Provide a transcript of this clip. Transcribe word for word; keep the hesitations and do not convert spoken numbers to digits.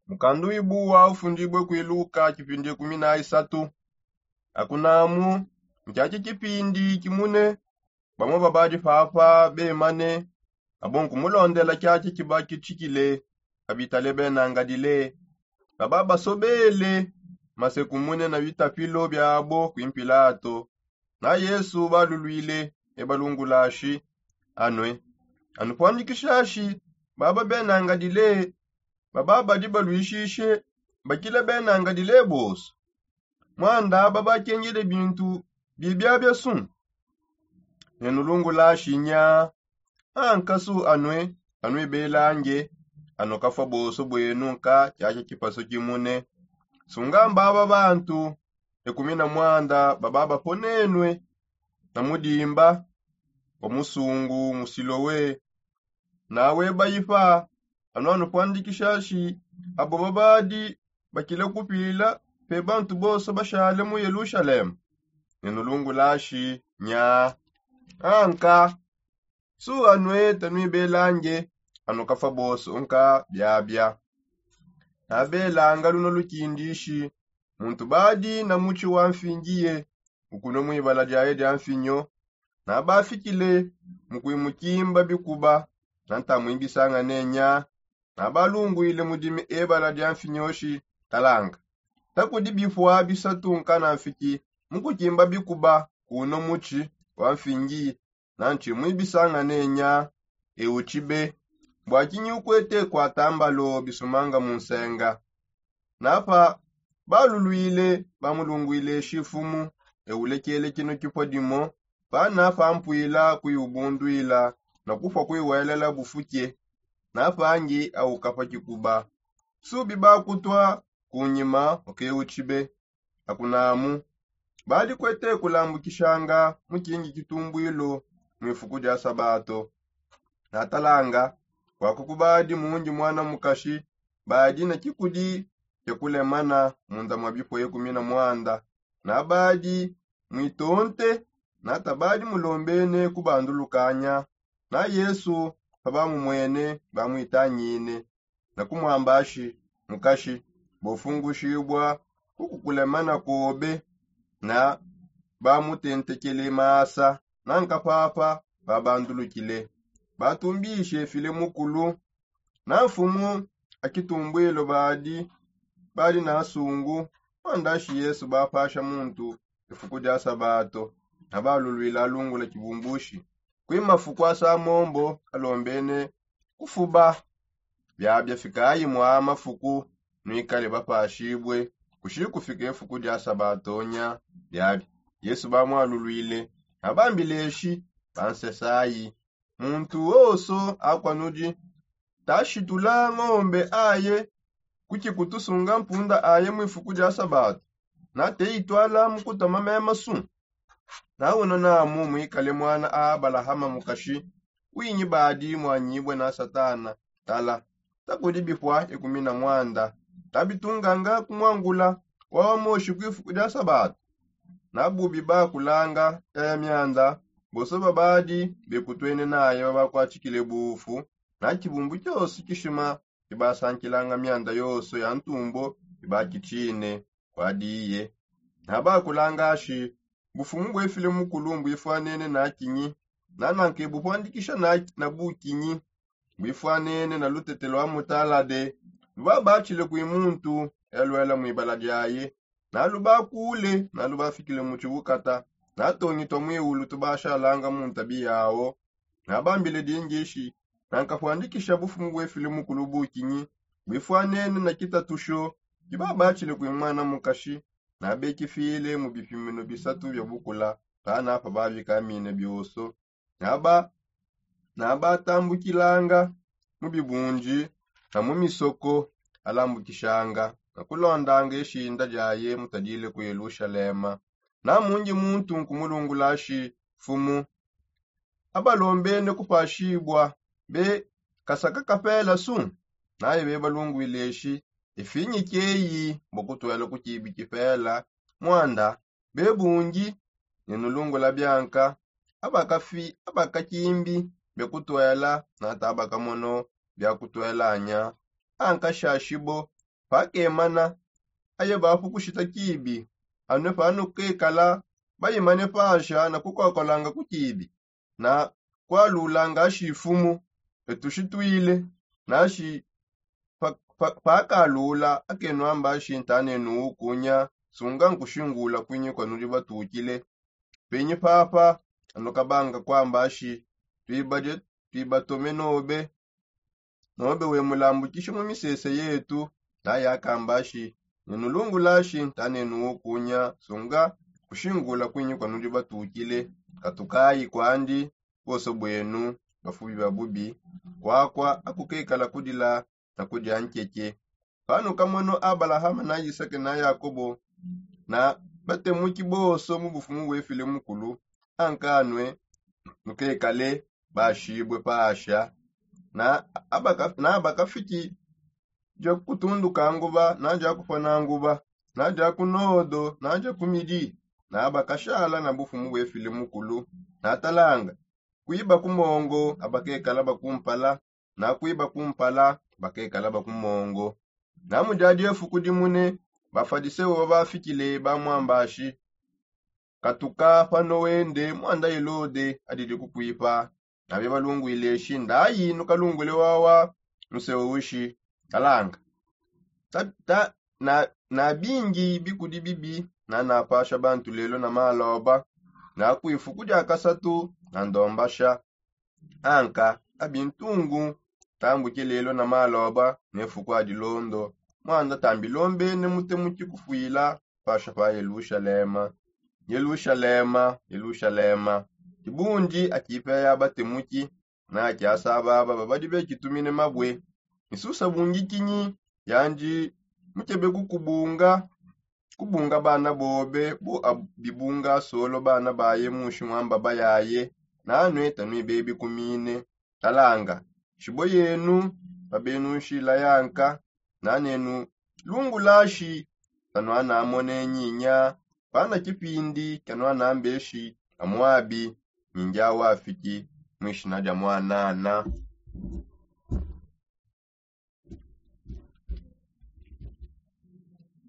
Mukandu wibuwa ufundibue kwiluka kipindi kumi na isatu. Akunamu, nkiaki kipindi kimune bamue babadi papa bemane abo nkumulondela kiaki kiba kitshikile. Abitale benangadile baba basobele masekumune na bitapilo biabo kwi mpilato. Na yesu balulwile ebalungulashi anue anupuandikishashi baba benangadile baba badi balwishishe bakile benangadile boso. Mwanda babakengele bintu bibiabia su nenulungulashi nya ankasu anue anuibelange anukafua boso bwenu nka kiaki kipaso kimune. Sungamba aba bantu ekumi na mwanda baba baponenue na mudimba wa musungu musilowe. Nawe bayipa anu anupuandikishashi abo babadi bakile kupila pe bantu bonso bashale mu yelushalema. Nenulungulashi nya anka su anue tanuibelange anukafua bonso nka biabia. Nabelanga luno lukindishi muntu badi na mutshi wa mfingiye ukunue mu ibala diaye dia mfinyo. Nabafikile mu kuimukimba bikuba na ntamuibisanga nenya. Nabalungwile mudimi ebala dia mfinyoshi talanga takudi bipua bisatu nkanamfiki mu kukimba bikuba kuno mutshi wa mfingiye na ntshimwibisanga nenya. Ewu tshibe bua kinyi ukwete kuata mbalo bisumanga mu nsenga? Napa balulwile bamulungwile shifumu eulekele kino kipua dimo pana pampuila kuiubundwila na kupua kuiwelela bufuke. Napangi aukapa kikuba subi bakutua kunyima ukeutshibe. Akunamu badi kuete kulambukishanga mukingi kitumbwilo mu ifuku dia sabato. Natalanga kwaku kubadi mundi mwana mukashi badi na kikudi kia kulemana munda mua bipue kumi na mwanda. Nabadi muitonte na tabadi mulombene kubandulukanya. Na yesu pabamumwene bamwitangine na kumwamba shi mukashi bofungushibua kukukulemana kobe. Na bamutentekele masa na nkapapa babandulukile batumbishe file mukulu na mfumu akitumbwilo badi badi na nsungu. Mwandashi yesu bapasha muntu ifuku dia sabato na balulwila alungula kibumbushi kwi mafuku asa mombo alombene kufuba. Biabia fikayi mua mafuku nuikale bapashibue kushi kufika ifuku dia sabato nya. Biabia yesu bamwalulwile na bambileshi bansesayi muntu wonso akua nudi tashitula ngombe aye kutshi kutusunga mpunda aye mu ifuku dia sabato na teitwala mu kutama mema su. Na uno namu muikale mwana a abalahama mukashi winyi badi mwanyibue na satana. Tala takudi bipua ikumi na mwanda tabitunganga kumwangula wawa moshi ku ifuku dia sabato. Na bubi bakulanga yaya mianda bonso babadi bekutuene naye babakuatshikile bufu na tshibumbu tshionso tshishima ibasankilanga mianda yonso ya ntumbo ibakitshine kuadiye. Na bakulanga shi bufumu buefile mukulu mbuifuanene na kinyi na nanke bupuandikisha na bukinyi mbuifuanene na lutete lua mutalade lubabatshile kui muntu eluela muibala diaye. Na lubakule na lubafikile mu tshibukata na tongi tua muiulu tubashalanga mu ntabi yawo. Na bambile dingishi na nkapuandikisha bufumu buefile mukulu bukinyi buifuanene na kitatusho kibabatshile kui mwana mukashi. Na bekifile mu bipimino bisatu bia bukula pana pa babikamine bionso. Na batambukilanga mu bibundi na mu misoko alambukishanga na kulondanga ishinda diaye mutadile ku yelushalema. Na mundi muntu nkumulungulashi mfumu abalombene kupashibua be kasaka kapela su? Naye bebalungwileshi ifinyi kieyi bua kutuela ku kibi kipela mwanda bebungi ne nulungula bianka abakakimbi bia kutuela na tabakamono bia kutuelanya. Ankashashibo Pakemana aye bapu kushita kibi, anue panukekala bayimane pasha na kukokolanga ku kibi na kwalulanga ashi ifumu etushitwile nashi pakalula akenuamba ashi ntanenu ukunya sunga nkushingula kwinyi kwanudi batukile. Penyi papa anukabanga kwamba ashi twibatome nobe nobe wemulambukishi mu misese yetu naye akamba ashi nenulungulashi ntanenu ukunya sunga kushingula kwinyi kwanudi batukile katukayi kwandi. Bose bwenu bafubi ba bubi kwakwa akukekala kudila na kudia nkeke. Panukamono abalahama na isake na yakobo na batemuki bonso mu bufumu bwefile mukulu ankanue nukekale bashibue pasha na abakafiki dia kutunduka nguba na dia kupana nguba na dia kunodo na dia kumidi na bakashala na bufumu bwefile mukulu na talanga kwiba ku mongo abakekala bakumpala na kwiba kumpala bakekala baku mongo. Na mu diadi efuku dimune bafadiseo bafikile bamwambashi katuka pano wende mwanda elode adidi kukwipa. Nabe balungwile eshi ndayi nukalungwile wawa museo ushi kalanga ta, ta, na, na bingi bikudi bibi nanapasha bantu lelo na maloba na kwifuku dia kasatu na ndombasha anka abintungu tambuke lelo na maloba ne fuku adilondo mwanda tambilombene mutemuki kufwila pasha pa yelushalema. Yelushalema yelushalema kibundi akipe ya batemuki na kiasababa babadi bekitumine mabwe misusa bungi kinyi yandi mukebe kukubunga kubunga bana bobe bu abibunga solo bana baye mushi mwamba bayaye nanue tanui bebi kumine. Talanga shibo yenu pabenushila yanka nanenu lungulashi tanuanamone nyinya pana kipindi kianuanambeshi amuabi nyingi awafiki mwishina dia mwanana.